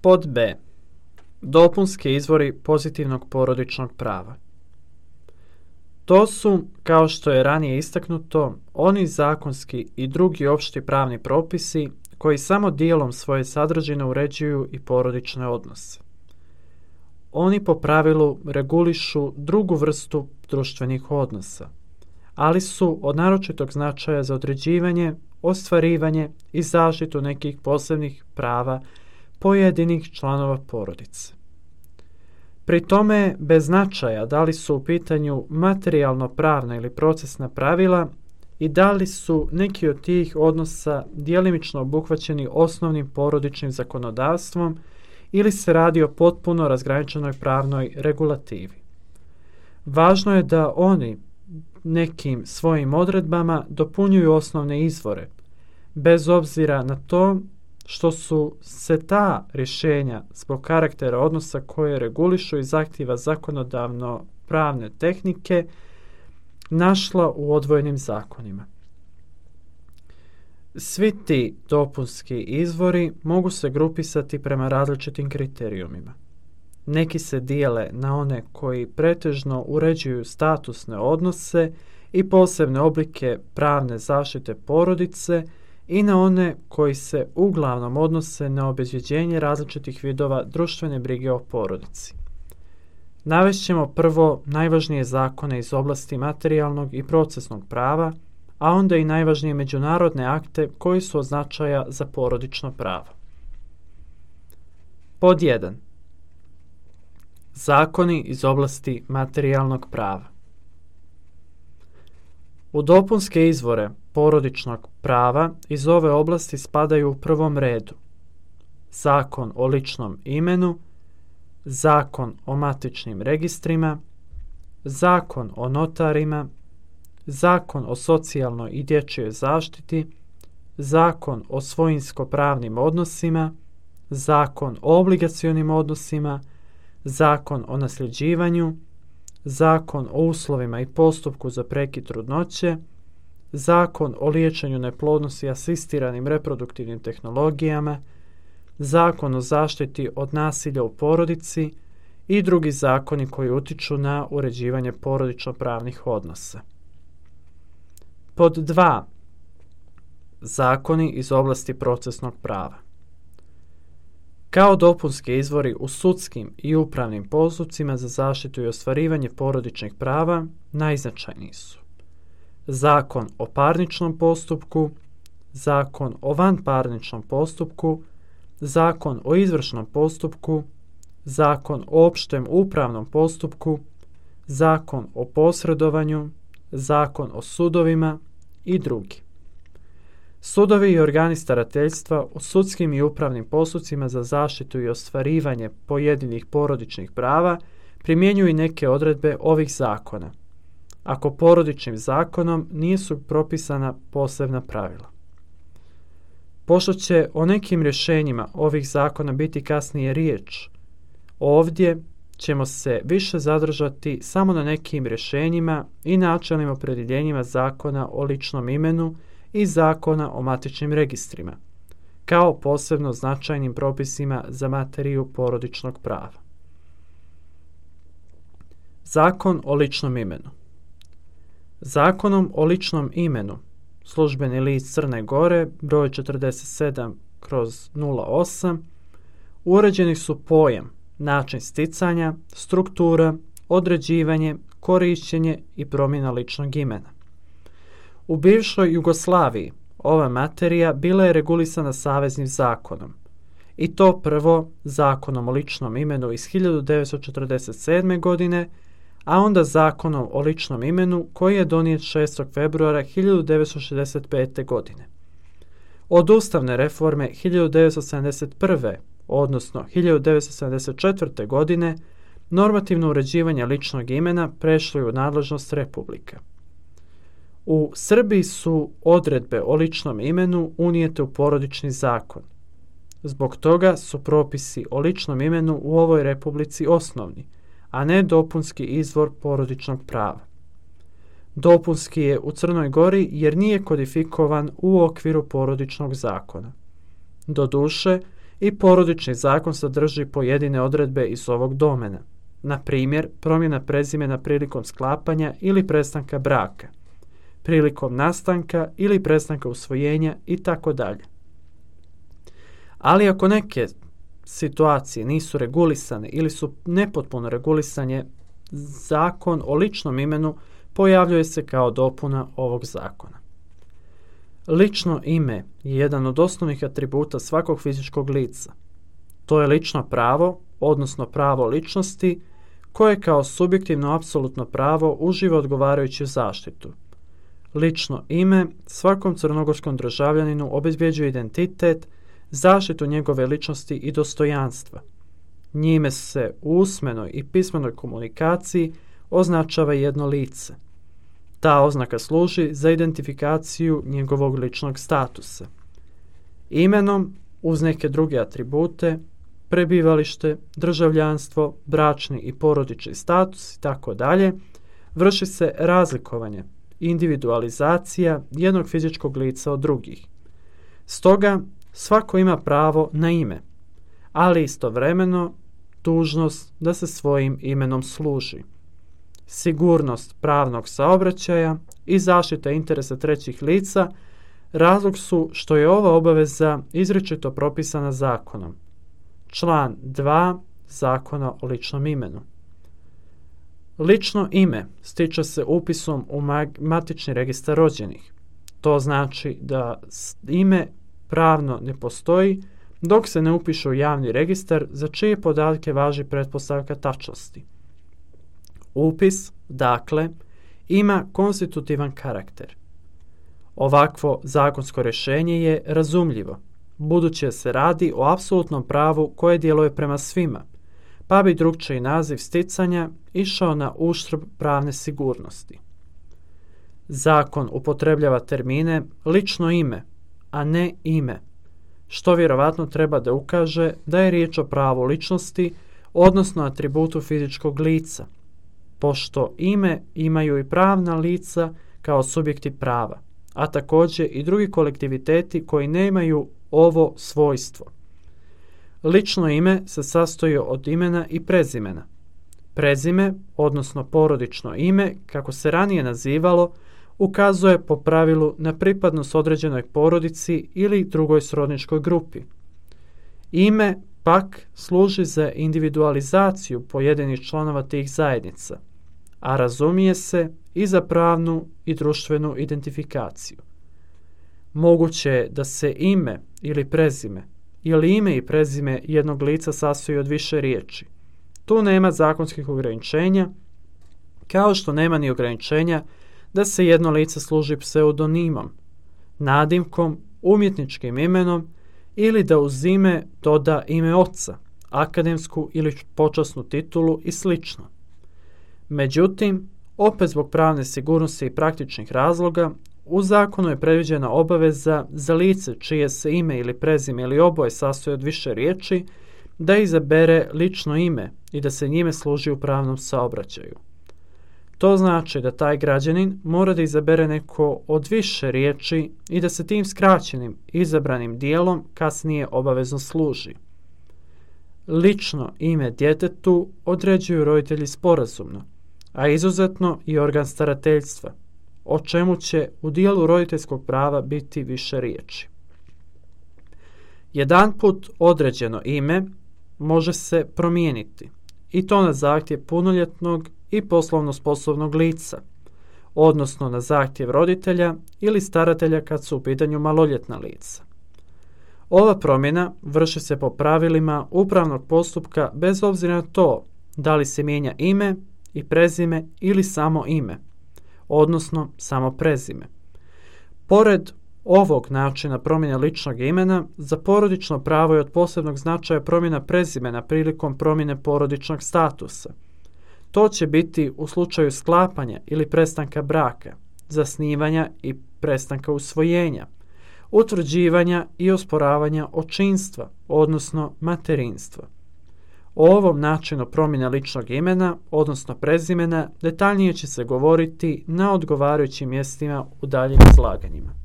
Pod B. Dopunski izvori pozitivnog porodičnog prava. To su, kao što je ranije istaknuto, oni zakonski i drugi opšti pravni propisi koji samo dijelom svoje sadržine uređuju i porodične odnose. Oni po pravilu regulišu drugu vrstu društvenih odnosa, ali su od naročitog značaja za određivanje, ostvarivanje i zaštitu nekih posebnih prava pojedinih članova porodice. Pri tome, bez značaja da li su u pitanju materijalno-pravna ili procesna pravila i da li su neki od tih odnosa djelimično obuhvaćeni osnovnim porodičnim zakonodavstvom ili se radi o potpuno razgraničenoj pravnoj regulativi. Važno je da oni nekim svojim odredbama dopunjuju osnovne izvore, bez obzira na to što su se ta rješenja zbog karaktera odnosa koje regulišu i zahtjeva zakonodavno pravne tehnike našla u odvojenim zakonima. Svi ti dopunski izvori mogu se grupisati prema različitim kriterijumima. Neki se dijele na one koji pretežno uređuju statusne odnose i posebne oblike pravne zaštite porodice i na one koji se uglavnom odnose na obezbeđenje različitih vidova društvene brige o porodici. Navešćemo prvo najvažnije zakone iz oblasti materijalnog i procesnog prava, a onda i najvažnije međunarodne akte koji su od značaja za porodično pravo. Pod 1. Zakoni iz oblasti materijalnog prava. U dopunske izvore porodičnog prava iz ove oblasti spadaju u prvom redu Zakon o ličnom imenu, Zakon o matičnim registrima, Zakon o notarima, Zakon o socijalnoj i dječjoj zaštiti, Zakon o svojinsko-pravnim odnosima, Zakon o obligacionim odnosima, Zakon o nasljeđivanju, Zakon o uslovima i postupku za prekid trudnoće, Zakon o liječenju neplodnosti i asistiranim reproduktivnim tehnologijama, Zakon o zaštiti od nasilja u porodici i drugi zakoni koji utiču na uređivanje porodično-pravnih odnosa. Pod 2. Zakoni iz oblasti procesnog prava. Kao dopunski izvori u sudskim i upravnim postupcima za zaštitu i ostvarivanje porodičnih prava najznačajniji su Zakon o parničnom postupku, Zakon o vanparničnom postupku, Zakon o izvršnom postupku, Zakon o opštem upravnom postupku, Zakon o posredovanju, Zakon o sudovima i drugi. Sudovi i organi starateljstva u sudskim i upravnim postupcima za zaštitu i ostvarivanje pojedinih porodičnih prava primjenjuju i neke odredbe ovih zakona, ako porodičnim zakonom nisu propisana posebna pravila. Pošto će o nekim rješenjima ovih zakona biti kasnije riječ, ovdje ćemo se više zadržati samo na nekim rješenjima i načelnim opredjeljenjima Zakona o ličnom imenu i Zakona o matičnim registrima, kao posebno značajnim propisima za materiju porodičnog prava. Zakon o ličnom imenu. Zakonom o ličnom imenu, Službeni list Crne Gore, broj 47/08, uređeni su pojam, način sticanja, struktura, određivanje, korišćenje i promjena ličnog imena. U bivšoj Jugoslaviji ova materija bila je regulisana saveznim zakonom, i to prvo Zakonom o ličnom imenu iz 1947. godine, a onda Zakonom o ličnom imenu koji je donijet 6. februara 1965. godine. Od ustavne reforme 1971. odnosno 1974. godine normativno uređivanje ličnog imena prešlo je u nadležnost Republike. U Srbiji su odredbe o ličnom imenu unijete u porodični zakon. Zbog toga su propisi o ličnom imenu u ovoj republici osnovni, a ne dopunski izvor porodičnog prava. Dopunski je u Crnoj Gori jer nije kodifikovan u okviru porodičnog zakona. Doduše, i porodični zakon sadrži pojedine odredbe iz ovog domena. Na primjer, promjena prezimena prilikom sklapanja ili prestanka braka, prilikom nastanka ili prestanka usvojenja itd. Ali ako neke situacije nisu regulisane ili su nepotpuno regulisane, zakon o ličnom imenu pojavljuje se kao dopuna ovog zakona. Lično ime je jedan od osnovnih atributa svakog fizičkog lica. To je lično pravo, odnosno pravo ličnosti, koje kao subjektivno apsolutno pravo uživa odgovarajuću zaštitu. Lično ime svakom crnogorskom državljaninu obezbjeđuje identitet, zaštitu njegove ličnosti i dostojanstva. Njime se u usmenoj i pismenoj komunikaciji označava jedno lice. Ta oznaka služi za identifikaciju njegovog ličnog statusa. Imenom, uz neke druge atribute, prebivalište, državljanstvo, bračni i porodični status itd., vrši se razlikovanje, individualizacija jednog fizičkog lica od drugih. Stoga, svako ima pravo na ime, ali istovremeno dužnost da se svojim imenom služi. Sigurnost pravnog saobraćaja i zaštita interesa trećih lica razlog su što je ova obaveza izričito propisana zakonom. Član 2 Zakona o ličnom imenu. Lično ime stiče se upisom u matični registar rođenih. To znači da ime pravno ne postoji dok se ne upiše u javni registar za čije podatke važi pretpostavka tačnosti. Upis, dakle, ima konstitutivan karakter. Ovakvo zakonsko rješenje je razumljivo, budući se radi o apsolutnom pravu koje djeluje prema svima, pa bi drukčiji naziv sticanja išao na uštrb pravne sigurnosti. Zakon upotrebljava termine lično ime, a ne ime, što vjerovatno treba da ukaže da je riječ o pravu ličnosti, odnosno atributu fizičkog lica, pošto ime imaju i pravna lica kao subjekti prava, a također i drugi kolektiviteti koji nemaju ovo svojstvo. Lično ime se sastoji od imena i prezimena. Prezime, odnosno porodično ime, kako se ranije nazivalo, ukazuje po pravilu na pripadnost određenoj porodici ili drugoj srodničkoj grupi. Ime, pak, služi za individualizaciju pojedinih članova tih zajednica, a razumije se i za pravnu i društvenu identifikaciju. Moguće je da se ime ili prezime ili ime i prezime jednog lica sastoji od više riječi. Tu nema zakonskih ograničenja, kao što nema ni ograničenja da se jedno lice služi pseudonimom, nadimkom, umjetničkim imenom ili da uz ime doda ime oca, akademsku ili počasnu titulu i sl. Međutim, opet zbog pravne sigurnosti i praktičnih razloga, u zakonu je predviđena obaveza za lice čije se ime ili prezime ili oboje sastoji od više riječi da izabere lično ime i da se njime služi u pravnom saobraćaju. To znači da taj građanin mora da izabere neko od više riječi i da se tim skraćenim izabranim dijelom kasnije obavezno služi. Lično ime djetetu određuju roditelji sporazumno, a izuzetno i organ starateljstva, o čemu će u dijelu roditeljskog prava biti više riječi. Jedanput određeno ime može se promijeniti, i to na zahtjev punoljetnog i poslovno sposobnog lica, odnosno na zahtjev roditelja ili staratelja kad su u pitanju maloljetna lica. Ova promjena vrši se po pravilima upravnog postupka bez obzira na to da li se mijenja ime i prezime ili samo ime, odnosno samo prezime. Pored ovog načina promjene ličnog imena, za porodično pravo je od posebnog značaja promjena prezimena prilikom promjene porodičnog statusa. To će biti u slučaju sklapanja ili prestanka braka, zasnivanja i prestanka usvojenja, utvrđivanja i osporavanja očinstva, odnosno materinstva. O ovom načinu promjene ličnog imena, odnosno prezimena, detaljnije će se govoriti na odgovarajućim mjestima u daljim izlaganjima.